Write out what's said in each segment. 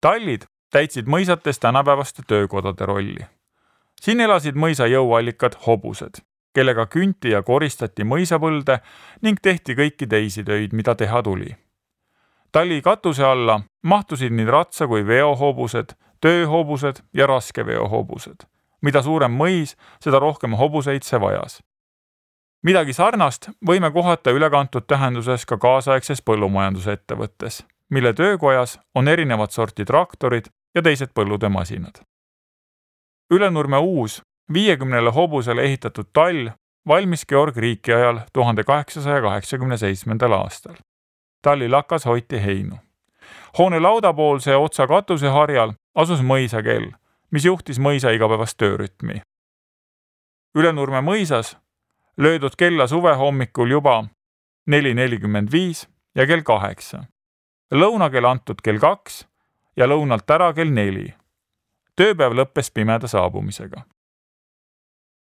Tallid täitsid mõisates tänapäevaste töökodade rolli. Siin elasid mõisa jõuallikad hobused, kellega künti ja koristati mõisapõlde ning tehti kõiki teisi töid, mida teha tuli. Talli katuse alla mahtusid nii ratsa- kui veohobused, tööhobused ja raskeveohobused. Mida suurem mõis, seda rohkem hobuseid see vajas. Midagi sarnast võime kohata ülekantud tähenduses ka kaasaegses põllumajandusettevõttes, mille töökojas on erinevat sorti traktorid ja teised põllude masinad. Ülenurme uus 50 hobusele ehitatud tall valmis Georg Riiki ajal 1887. aastal. Talli lakas hoiti heinu. Hoone laudapoolse otsa katuseharjal asus mõisakell, mis juhtis mõisa igapäevast töörütmi. Ülenurme mõisas löödud kella suve hommikul juba 4:45 ja kell 8. Lõunakell antud kell 2 ja lõunalt ära kell 4. Tööpäev lõppes pimeda saabumisega.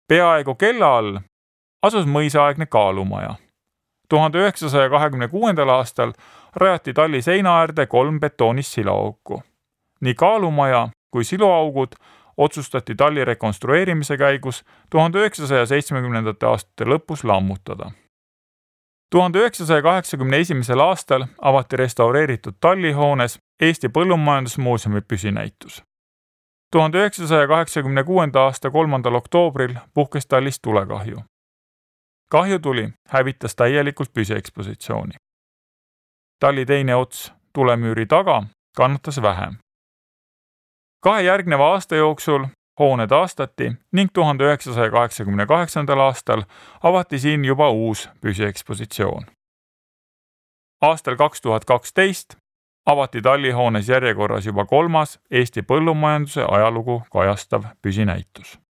Peaaegu kella all asus mõisaaegne kaalumaja. 1926. aastal rajati Talli seina äärde 3 betoonist siloauku. Nii kaalumaja kui siloaugud otsustati Talli rekonstrueerimise käigus 1970. aastate lõpus lammutada. 1981. aastal avati restaureeritud Talli hoones Eesti Põllumajandusmuuseumi püsinäitus. 1986. aasta 3. oktoobril puhkes Tallis tulekahju. Kahjutuli hävitas täielikult püsiekspositsiooni. Talli teine ots tulemüüri taga kannatas vähem. 2 järgneva aasta jooksul hoone taastati ning 1988. aastal avati siin juba uus püsiekspositsioon. Aastal 2012 avati Talli hoones järjekorras juba 3. Eesti põllumajanduse ajalugu kajastav püsinäitus.